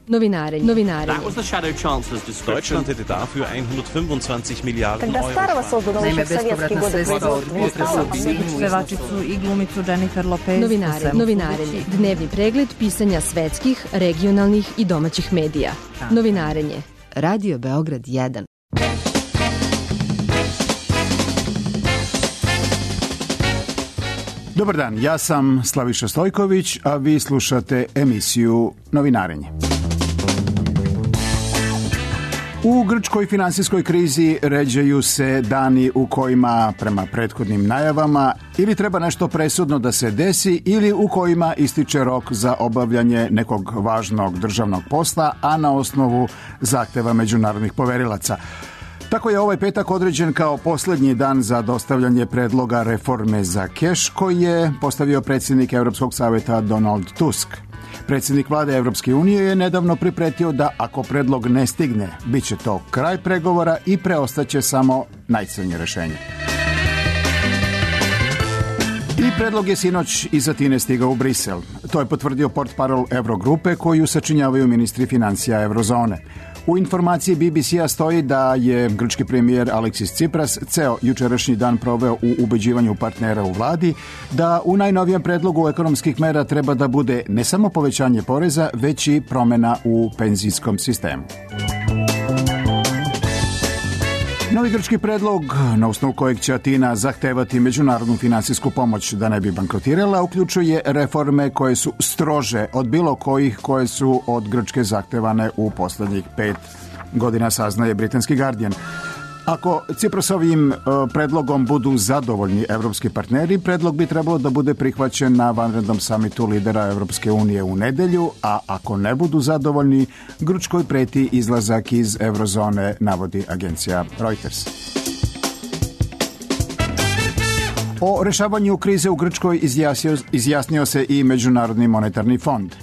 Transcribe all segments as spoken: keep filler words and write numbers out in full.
Novinarenje. Novinarenje. Deutschland hätte dafür hundertfünfundzwanzig Milliarden Euro. Naime, bespovratna sredstva od pevačicu i glumicu Jennifer Lopez. Novinarenje. Novinarenje. Dnevni pregled pisanja svetskih, regionalnih i domaćih medija. Novinarenje. Radio Beograd jedan. Dobar dan, ja sam Slaviša Stojković, a vi slušate emisiju Novinarenje. U grčkoj finansijskoj krizi ređaju se dani u kojima, prema prethodnim najavama, ili treba nešto presudno da se desi ili u kojima ističe rok za obavljanje nekog važnog državnog posla, a na osnovu zahteva međunarodnih poverilaca. Tako je ovaj petak određen kao posljednji dan za dostavljanje predloga reforme za keš koji je postavio predsjednik Europskog savjeta Donald Tusk. Predsjednik vlade Europske unije je nedavno pripretio da ako predlog ne stigne, bit će to kraj pregovora i preostaće samo najcrnje rješenje. I predlog je sinoć iz Atine stigao u Brisel. To je potvrdio portparol Eurogrupe koju sačinjavaju ministri financija Eurozone. U informaciji B B C-a stoji da je grčki premijer Aleksis Tsipras ceo jučerašnji dan proveo u ubeđivanju partnera u vladi da u najnovijem predlogu ekonomskih mera treba da bude ne samo povećanje poreza, već i promjena u penzijskom sistemu. Novi grčki predlog, na osnovu kojeg će Atina zahtevati međunarodnu finansijsku pomoć da ne bi bankrotirala, uključuje reforme koje su strože od bilo kojih koje su od Grčke zahtevane u posljednjih pet godina, saznaje britanski Guardian. Ako Ciprasovim predlogom budu zadovoljni evropski partneri, predlog bi trebalo da bude prihvaćen na vanrednom samitu lidera Evropske unije u nedelju, a ako ne budu zadovoljni, Grčkoj preti izlazak iz Eurozone, navodi agencija Reuters. O rešavanju krize u Grčkoj izjasnio, izjasnio se i Međunarodni monetarni fond.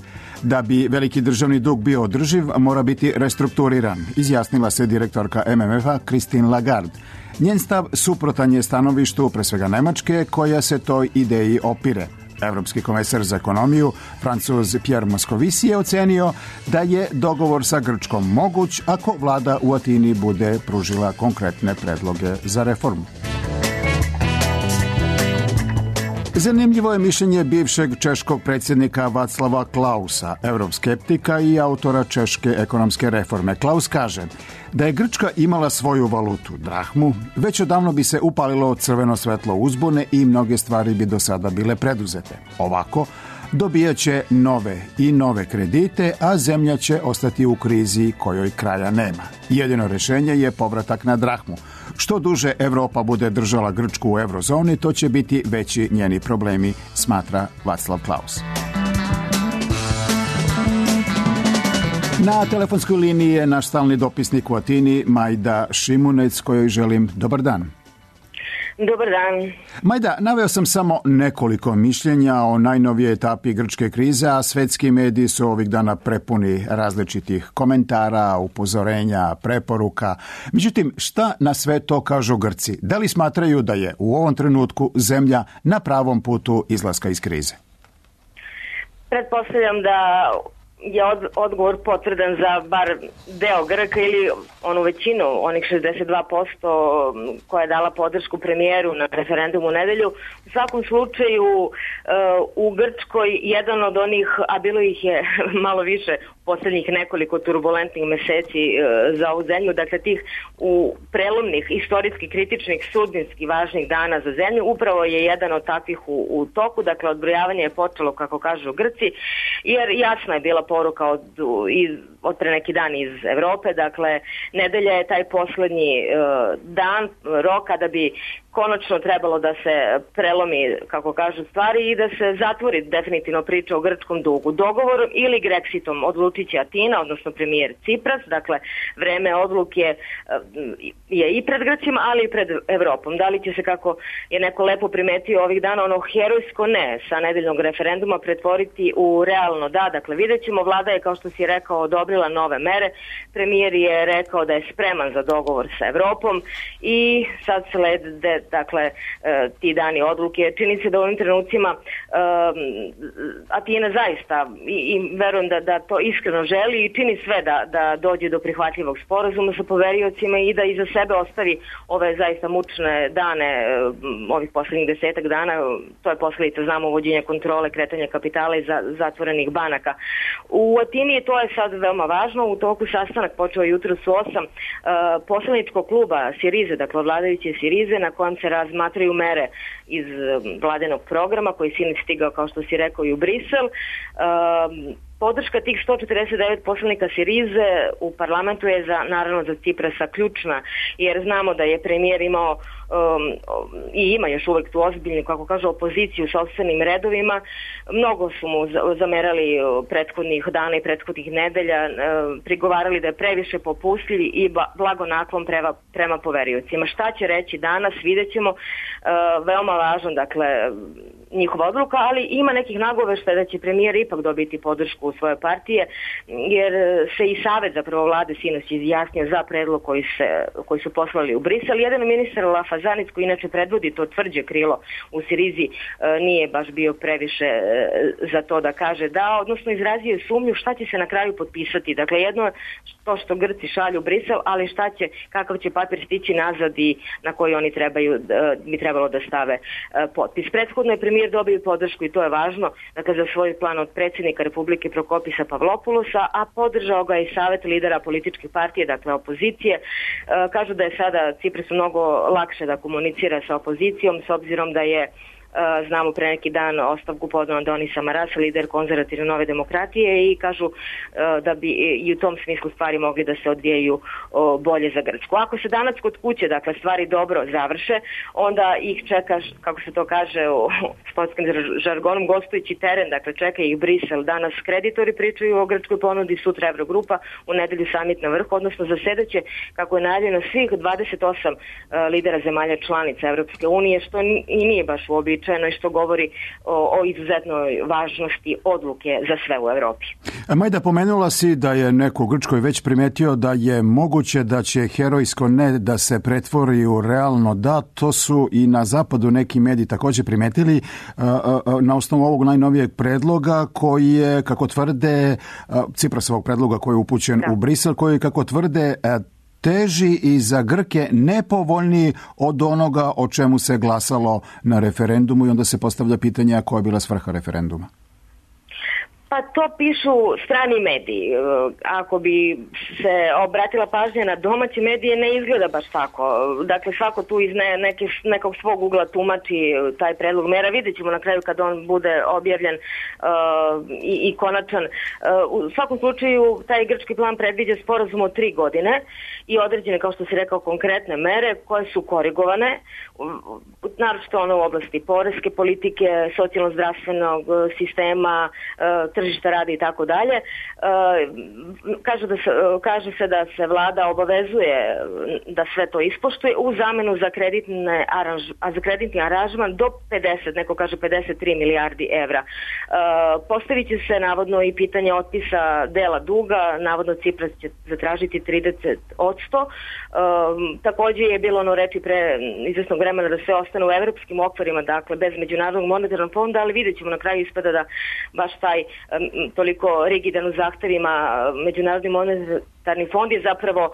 Da bi veliki državni dug bio održiv, mora biti restrukturiran, izjasnila se direktorka M M F-a Christine Lagarde. Njen stav suprotan je stanovištu, pre svega Nemačke, koja se toj ideji opire. Evropski komesar za ekonomiju, Francuz Pierre Moscovici, je ocenio da je dogovor sa Grčkom moguć ako vlada u Atini bude pružila konkretne predloge za reformu. Zanimljivo je mišljenje bivšeg češkog predsjednika Václava Klausa, euroskeptika i autora češke ekonomske reforme. Klaus kaže da je Grčka imala svoju valutu, drahmu, već odavno bi se upalilo crveno svetlo uzbune i mnoge stvari bi do sada bile preduzete. Ovako, dobijat će nove i nove kredite, a zemlja će ostati u krizi kojoj kraja nema. Jedino rješenje je povratak na drahmu. Što duže Evropa bude držala Grčku u eurozoni, to će biti veći njeni problemi, smatra Václav Klaus. Na telefonskoj liniji je naš stalni dopisnik u Atini, Majda Šimunec, kojoj želim dobar dan. Dobar dan. Majda, naveo sam samo nekoliko mišljenja o najnovijoj etapi grčke krize, a svetski mediji su ovih dana prepuni različitih komentara, upozorenja, preporuka. Međutim, šta na sve to kažu Grci? Da li smatraju da je u ovom trenutku zemlja na pravom putu izlaska iz krize? Pretpostavljam da je od, odgovor potvrdan za bar deo Grka ili onu većinu, onih šezdeset dva posto koja je dala podršku premijeru na referendumu u nedelju. U svakom slučaju uh, u Grčkoj jedan od onih, a bilo ih je malo više posljednjih nekoliko turbulentnih meseci uh, za ovu zemlju, dakle tih u prelomnih, istorijski kritičnih, sudbinski važnih dana za zemlju, upravo je jedan od takvih u, u toku, dakle odbrojavanje je počelo, kako kažu Grci, jer jasna je bila poruka od, iz, od pre neki dan iz Evrope, dakle nedelja je taj posljednji uh, dan, roka da bi konačno trebalo da se prelomi, kako kažu stvari, i da se zatvori definitivno priča o grčkom dugu. Dogovorom ili Grexitom odlučit će Atina, odnosno premijer Tsipras, dakle vreme odluke je i pred Grcima, ali i pred Evropom. Da li će se, kako je neko lepo primetio ovih dana, ono herojsko ne sa nedeljnog referenduma pretvoriti u realno da, dakle vidjet ćemo. Vlada je, kao što si rekao, odobrila nove mere, premijer je rekao da je spreman za dogovor sa Evropom i sad slede dakle, ti dani odluke. Čini se da u ovim trenucima Atina zaista, i, i verujem da, da to iskreno želi i čini sve da, da dođe do prihvatljivog sporazuma sa poveriocima i da iza sebe ostavi ove zaista mučne dane, ovih poslednjih desetak dana. To je posledica, znamo, uvođenja kontrole, kretanja kapitala i za, zatvorenih banaka. U Atini to je sad veoma važno. U toku sastanak počeo jutro su osam uh, poslaničkog kluba Sirize, dakle vladajuće Sirize, na kojem se razmatraju mere iz uh, vladenog programa koji sinoć stigao, kao što si rekao, i u Brisel. Uh, Podrška tih sto četrdeset devet poslanika Sirize u parlamentu je za, naravno za Ciprasa ključna, jer znamo da je premijer imao um, i ima još uvek tu ozbiljnu, kako kaže, opoziciju u sopstvenim redovima. Mnogo su mu zamerali prethodnih dana i prethodnih nedelja, uh, prigovarali da je previše popustljiv i blagonaklon prema, prema poveriocima. Šta će reći danas, vidjet ćemo. Uh, veoma važno, dakle, njihova odluka, ali ima nekih nagoveštaja da će premijer ipak dobiti podršku u svoje partije, jer se i savet zapravo vlade sinoć izjasnio za predlog koji, se, koji su poslali u Brisel. Jedan ministar Lafazanic, koji inače predvodi to tvrđe krilo u Sirizi, nije baš bio previše za to da kaže da, odnosno izrazio je sumnju šta će se na kraju potpisati. Dakle, jedno je to što Grci šalju u Brisel, ali šta će, kakav će papir stići nazad i na koji oni trebaju, bi trebalo da stave potpis. Prethodno je premijer dobio podršku, i to je važno, dakle, za svoj plan od predsjednika Republike Prokopisa Pavlopoulosa, a podržao ga i savet lidera političke partije, dakle opozicije. E, kažu da je sada Ciprasu mnogo lakše da komunicira sa opozicijom, s obzirom da je, znamo, pre neki dan ostavku podneo Andoni Samaras, lider konzervativne Nove demokratije, i kažu da bi i u tom smislu stvari mogli da se odvijaju bolje za Grčku. Ako se danas kod kuće, dakle, stvari dobro završe, onda ih čeka, kako se to kaže u sportskim žargonom, gostujući teren, dakle, čeka ih Brisel. Danas kreditori pričaju o grčkoj ponudi, sutra Evrogrupa, u nedelju samit na vrhu, odnosno zasedaće, kako je najavljeno, svih dvadeset osam lidera zemalja članica Evropske unije, što i nije baš uobičajeno i što govori o, o izuzetnoj važnosti odluke za sve u Evropi. Majda, pomenula si da je neko u Grčkoj već primetio da je moguće da će herojsko ne da se pretvori u realno da. To su i na zapadu neki mediji također primetili na osnovu ovog najnovijeg predloga koji je, kako tvrde, Ciprasovog predloga koji je upućen da. u Brisel, koji, kako tvrde, teži i za Grke nepovoljniji od onoga o čemu se glasalo na referendumu, i onda se postavlja pitanje koja je bila svrha referenduma. Pa to pišu strani mediji. Ako bi se obratila pažnja na domaće medije, ne izgleda baš tako. Dakle, svako tu iz ne, neke, nekog svog ugla tumači taj predlog mera. Vidjet ćemo na kraju kad on bude objavljen uh, i, i konačan. Uh, u svakom slučaju, taj grčki plan predviđa sporazum od tri godine i određene, kao što si rekao, konkretne mere koje su korigovane, naročito ono u oblasti poreske politike, socijalno-zdravstvenog sistema, uh, tržišta rada i tako dalje. Kaže da se, kaže se da se vlada obavezuje da sve to ispoštuje u zamenu za kreditne aranž, a za kreditni aranžman do pedeset, neko kaže pedeset tri milijardi evra. Postavit će se navodno i pitanje otpisa dela duga, navodno Cipras će zatražiti trideset odsto. Također je bilo ono reči pre izvesnog vremena da sve ostane u evropskim okvirima, dakle bez Međunarodnog monetarnog fonda, ali vidjet ćemo na kraju ispada da baš taj toliko rigidan u zahtevima Međunarodni monetarni fond je zapravo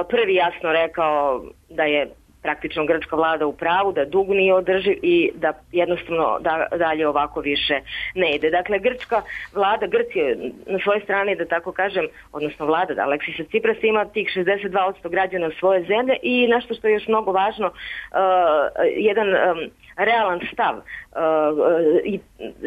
prvi jasno rekao da je praktično grčka vlada u pravu, da dug nije održiv i da jednostavno da, dalje ovako više ne ide. Dakle, grčka vlada, Grcija na svojoj strani, da tako kažem, odnosno vlada, da Aleksisa Ciprasa ima tih šezdeset dva odsto građana svoje zemlje i nešto što je još mnogo važno, uh, jedan um, realan stav uh, i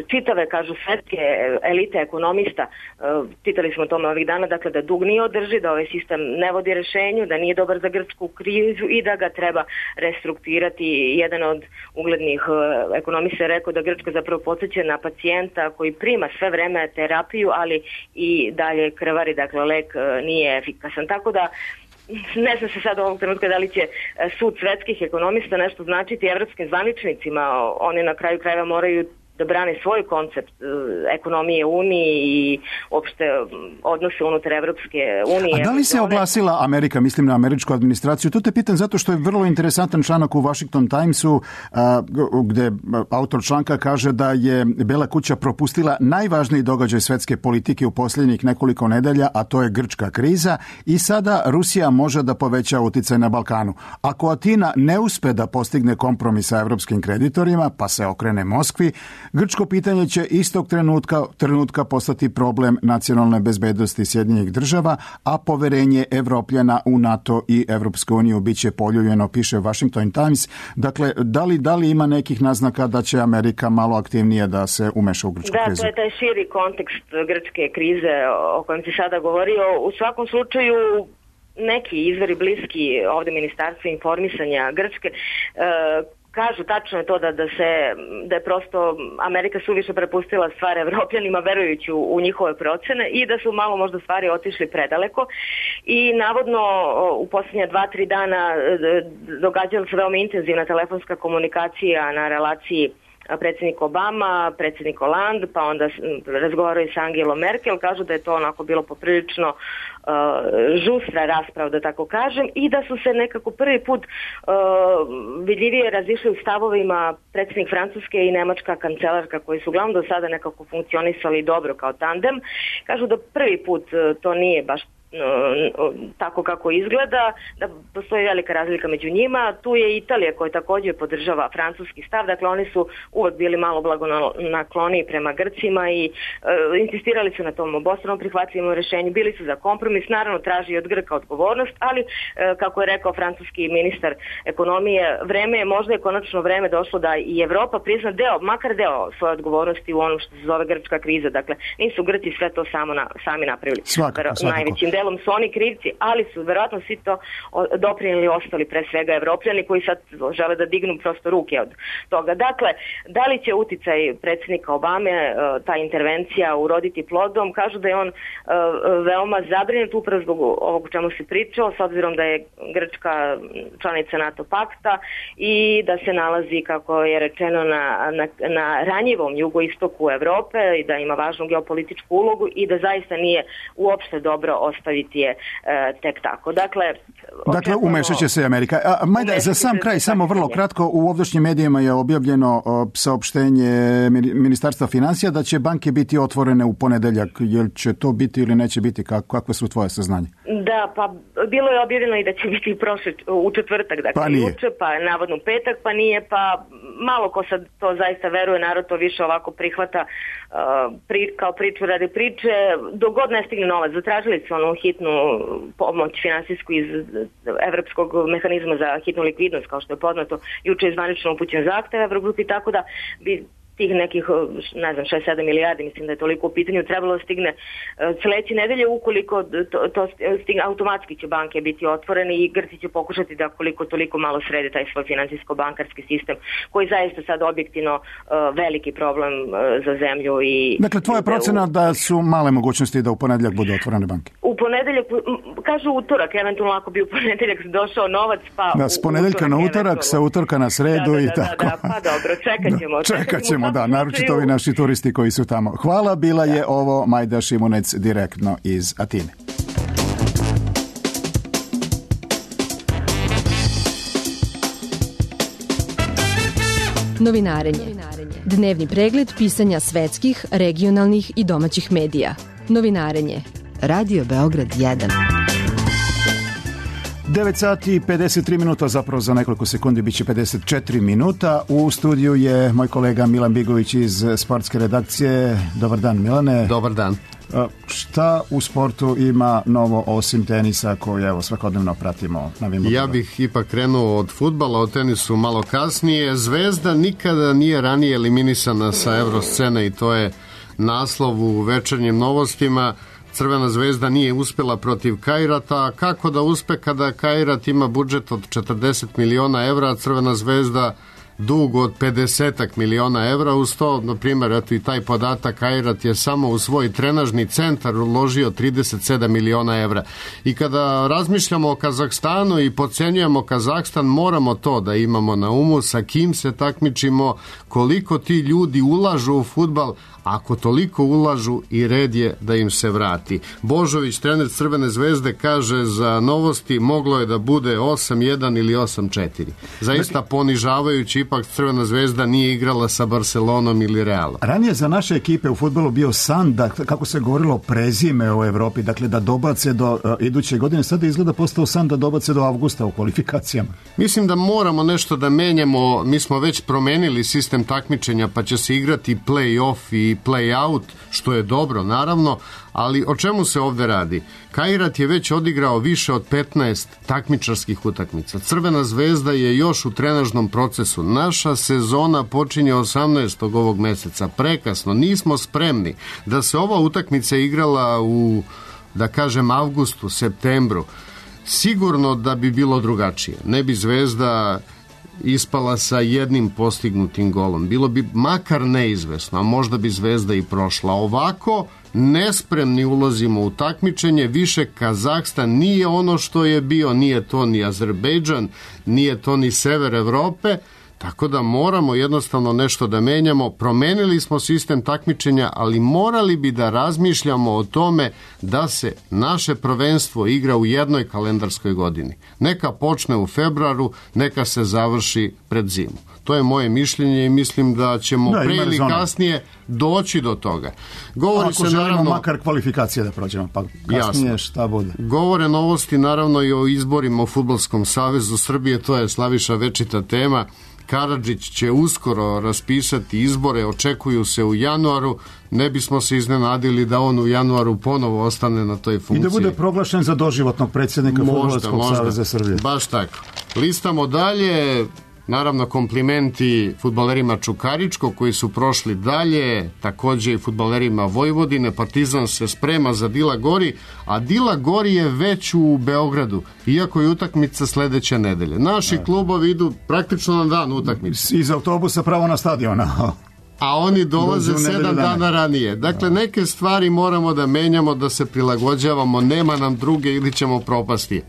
čitave, kažu, svetske elite ekonomista, uh, čitali smo o tome ovih dana, dakle da dug nije održiv, da ovaj sistem ne vodi rešenju, da nije dobar za grčku krizu i da ga treba restrukturirati. Jedan od uglednih uh, ekonomista je rekao da Grčka zapravo podsjeća na pacijenta koji prima sve vreme terapiju, ali i dalje krvari, dakle lek uh, nije efikasan. Tako da ne znam se sad ovog trenutka da li će sud svetskih ekonomista nešto značiti evropskim zvaničnicima. Oni na kraju krajeva moraju da brane svoj koncept ekonomije Unije i uopšte odnose unutar Evropske unije. A da li se oglasila Amerika, mislim na američku administraciju? To te pitam zato što je vrlo interesantan članak u Washington Timesu gde autor članka kaže da je Bela kuća propustila najvažniji događaj svetske politike u posljednjih nekoliko nedelja, a to je grčka kriza i sada Rusija može da poveća uticaj na Balkanu. Ako Atina ne uspe da postigne kompromis sa evropskim kreditorima, pa se okrene Moskvi, grčko pitanje će istog trenutka, trenutka postati problem nacionalne bezbednosti Sjedinjenih država, a poverenje Evropljana u NATO i Evropsku uniju biće poljuljeno, piše Washington Times. Dakle, da li, da li ima nekih naznaka da će Amerika malo aktivnije da se umeša u grčku da, krizu? Da, to je taj širi kontekst grčke krize o kojem si sada govorio. U svakom slučaju neki izvori bliski ovde Ministarstva informisanja Grčke e, kažu tačno je to da, da se da je prosto Amerika suviše prepustila stvar Evropljanima verujući u, u njihove procene i da su malo možda stvari otišli predaleko i navodno u posljednja dva, tri dana događala se veoma intenzivna telefonska komunikacija na relaciji predsjednik Obama, predsjednik Hollande, pa onda razgovaraju sa Angelom Merkel, kažu da je to onako bilo poprilično uh, žustra rasprava, da tako kažem, i da su se nekako prvi put uh, vidljivije razišli u stavovima predsjednik Francuske i nemačka kancelarka, koji su uglavnom do sada nekako funkcionisali dobro kao tandem. Kažu da prvi put uh, to nije baš tako kako izgleda, da postoji velika razlika među njima. Tu je Italija koja također podržava francuski stav, dakle oni su uvek bili malo blagonakloniji prema Grcima i e, insistirali su na tom obostranom prihvatljivom rešenju, bili su za kompromis, naravno traži od Grka odgovornost, ali e, kako je rekao francuski ministar ekonomije, vreme je, možda je konačno vreme došlo da i Evropa prizna deo, makar deo svoje odgovornosti u onom što se zove grčka kriza, dakle nisu Grci sve to samo na, sami napravili. Svakako, svakako. Najvećim delom su oni krivci, ali su verovatno svi to doprinijeli ostali, pre svega Evropljani koji sad žele da dignu prosto ruke od toga. Dakle, da li će uticaj predsjednika Obame, ta intervencija uroditi plodom? Kažu da je on veoma zabrinut upravo zbog ovog o čemu se pričao, s obzirom da je Grčka članica NATO pakta i da se nalazi, kako je rečeno, na, na, na ranjivom jugoistoku Evrope i da ima važnu geopolitičku ulogu i da zaista nije uopšte dobro ostaviti je e, tek tako. Dakle, dakle umešat će se Amerika. A, Majda, za sam kraj, samo vrlo kratko, u ovdašnjim medijima je objavljeno o, saopštenje Ministarstva financija da će banke biti otvorene u ponedeljak. Jel će to biti ili neće biti? Kako, kakve su tvoje saznanje? Da, pa bilo je objavljeno i da će biti prošle, u četvrtak, dakle pa juče, pa navodno petak, pa nije, pa malo ko sad to zaista veruje, narod to više ovako prihvata uh, pri, kao priču radi priče, dogod ne stigne novac. Zatražili su onu hitnu pomoć finansijsku iz Evropskog mehanizma za hitnu likvidnost, kao što je poznato, juče je zvanično upućen zahtev Evrogrupi, tako da bi tih nekih, ne znam, šest sedam milijardi, mislim da je toliko u pitanju, trebalo stigne sledeće nedelje, ukoliko to, to stigne, automatski će banke biti otvorene i Grci će pokušati da koliko toliko malo srede taj svoj finansijsko-bankarski sistem, koji zaista sad objektivno uh, veliki problem uh, za zemlju. I dakle, tvoja procena u... da su male mogućnosti da u ponedeljak budu otvorene banke? U ponedeljak, kažu utorak, eventualno ako bi u ponedeljak došao novac, pa... Da, s ponedeljka na utorak, sa utorka na sredu da, da, i da, tako. Da, da, pa dobro, čekat ćemo. Da, čekat ćemo, da, naročito ovi naši turisti koji su tamo. Hvala, bila je ovo Majda Šimunec direktno iz Atine. Novinarenje. Dnevni pregled pisanja svetskih, regionalnih i domaćih medija. Novinarenje. Radio Beograd jedan. devet sati i pedeset tri minuta, zapravo za nekoliko sekundi bit će pedeset četiri minuta. U studiju je moj kolega Milan Bigović iz sportske redakcije. Dobar dan, Milane. Dobar dan. Šta u sportu ima novo osim tenisa koji evo svakodnevno pratimo na Wimbledonu? Ja bih ipak krenuo od fudbala, o tenisu malo kasnije. Zvezda nikada nije ranije eliminisana sa Evroscene i to je naslov u večernjim novostima. Crvena zvezda nije uspjela protiv Kairata. Kako da uspe kada Kairat ima budžet od četrdeset miliona evra, a Crvena zvezda dug od pedesetak miliona evra. Uz to, na primjer, eto i taj podatak, Kairat je samo u svoj trenažni centar uložio trideset sedam miliona evra. I kada razmišljamo o Kazahstanu i podcenjujemo Kazahstan, moramo to da imamo na umu, sa kim se takmičimo, koliko ti ljudi ulažu u fudbal. Ako toliko ulažu, i red je da im se vrati. Božović, trener Crvene zvezde, kaže za Novosti moglo je da bude osam jedan ili osam četiri. Zaista ponižavajući, ipak Crvena zvezda nije igrala sa Barcelonom ili Realom. Ranije za naše ekipe u fudbalu bio san da, kako se govorilo, prezime u Evropi, dakle da dobace do uh, iduće godine. Sada izgleda postao san da dobace do avgusta u kvalifikacijama. Mislim da moramo nešto da menjamo. Mi smo već promenili sistem takmičenja, pa će se igrati play-off i play-out, što je dobro, naravno, ali o čemu se ovde radi? Kairat je već odigrao više od petnaest takmičarskih utakmica. Crvena zvezda je još u trenažnom procesu. Naša sezona počinje osamnaestog ovog meseca. Prekasno, nismo spremni da se ova utakmica igrala u, da kažem, avgustu, septembru. Sigurno da bi bilo drugačije. Ne bi Zvezda ispala sa jednim postignutim golom. Bilo bi makar neizvesno, a možda bi Zvezda i prošla. Ovako, nespremni ulazimo u takmičenje, više Kazahstan nije ono što je bio, nije to ni Azerbejdžan, nije to ni sever Evrope, tako da moramo jednostavno nešto da menjamo. Promenili smo sistem takmičenja, ali morali bi da razmišljamo o tome da se naše prvenstvo igra u jednoj kalendarskoj godini. Neka počne u februaru, neka se završi pred zimu. To je moje mišljenje i mislim da ćemo da, pre ili kasnije doći do toga. Govori Ako se želimo naravno makar kvalifikacije da prođemo, pa kasnije jasno. Šta bude. Govore Novosti naravno i o izborima u Fudbalskom savezu Srbije, to je Slaviša večita tema. Karadžić će uskoro raspisati izbore, očekuju se u januaru, ne bismo se iznenadili da on u januaru ponovo ostane na toj funkciji. I da bude proglašen za doživotnog predsjednika Fudbalskog saveza Srbije. Baš tako. Listamo dalje, naravno komplimenti fudbalerima Čukaričko koji su prošli dalje, takođe i fudbalerima Vojvodine. Partizan se sprema za Dila Gori, a Dila Gori je već u Beogradu, iako je utakmica sledeće nedelje. Naši da. klubovi idu praktično na dan utakmice. Iz autobusa pravo na stadion. A oni dolaze sedam dana ranije. Dakle, neke stvari moramo da menjamo, da se prilagođavamo, nema nam druge ili ćemo propasti.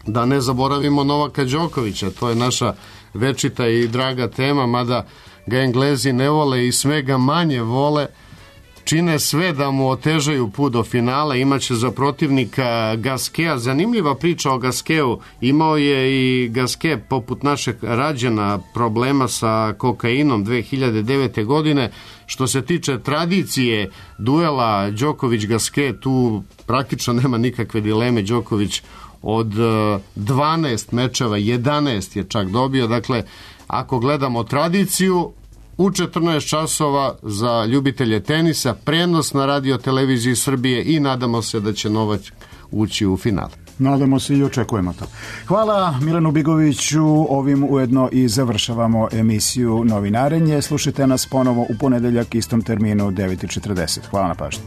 Da ne zaboravimo Novaka Đokovića, to je naša večita i draga tema, mada ga Englezi ne vole i sve ga manje vole, čine sve da mu otežaju put do finala. Imaće za protivnika Gaskea. Zanimljiva priča o Gaskeu. Imao je i Gaske, poput našeg Rađena, problema sa kokainom dve hiljade devete. godine. Što se tiče tradicije duela Đoković-Gaske, tu praktično nema nikakve dileme. Đoković od dvanaest mečeva, jedanaest je čak dobio. Dakle, ako gledamo tradiciju, u četrnaest časova za ljubitelje tenisa, prenos na radio televiziji Srbije i nadamo se da će Novak ući u final. Nadamo se i očekujemo to. Hvala Milanu Bigoviću, ovim ujedno i završavamo emisiju Novinarenje. Slušajte nas ponovo u ponedeljak istom terminu devet i četrdeset. Hvala na pažnji.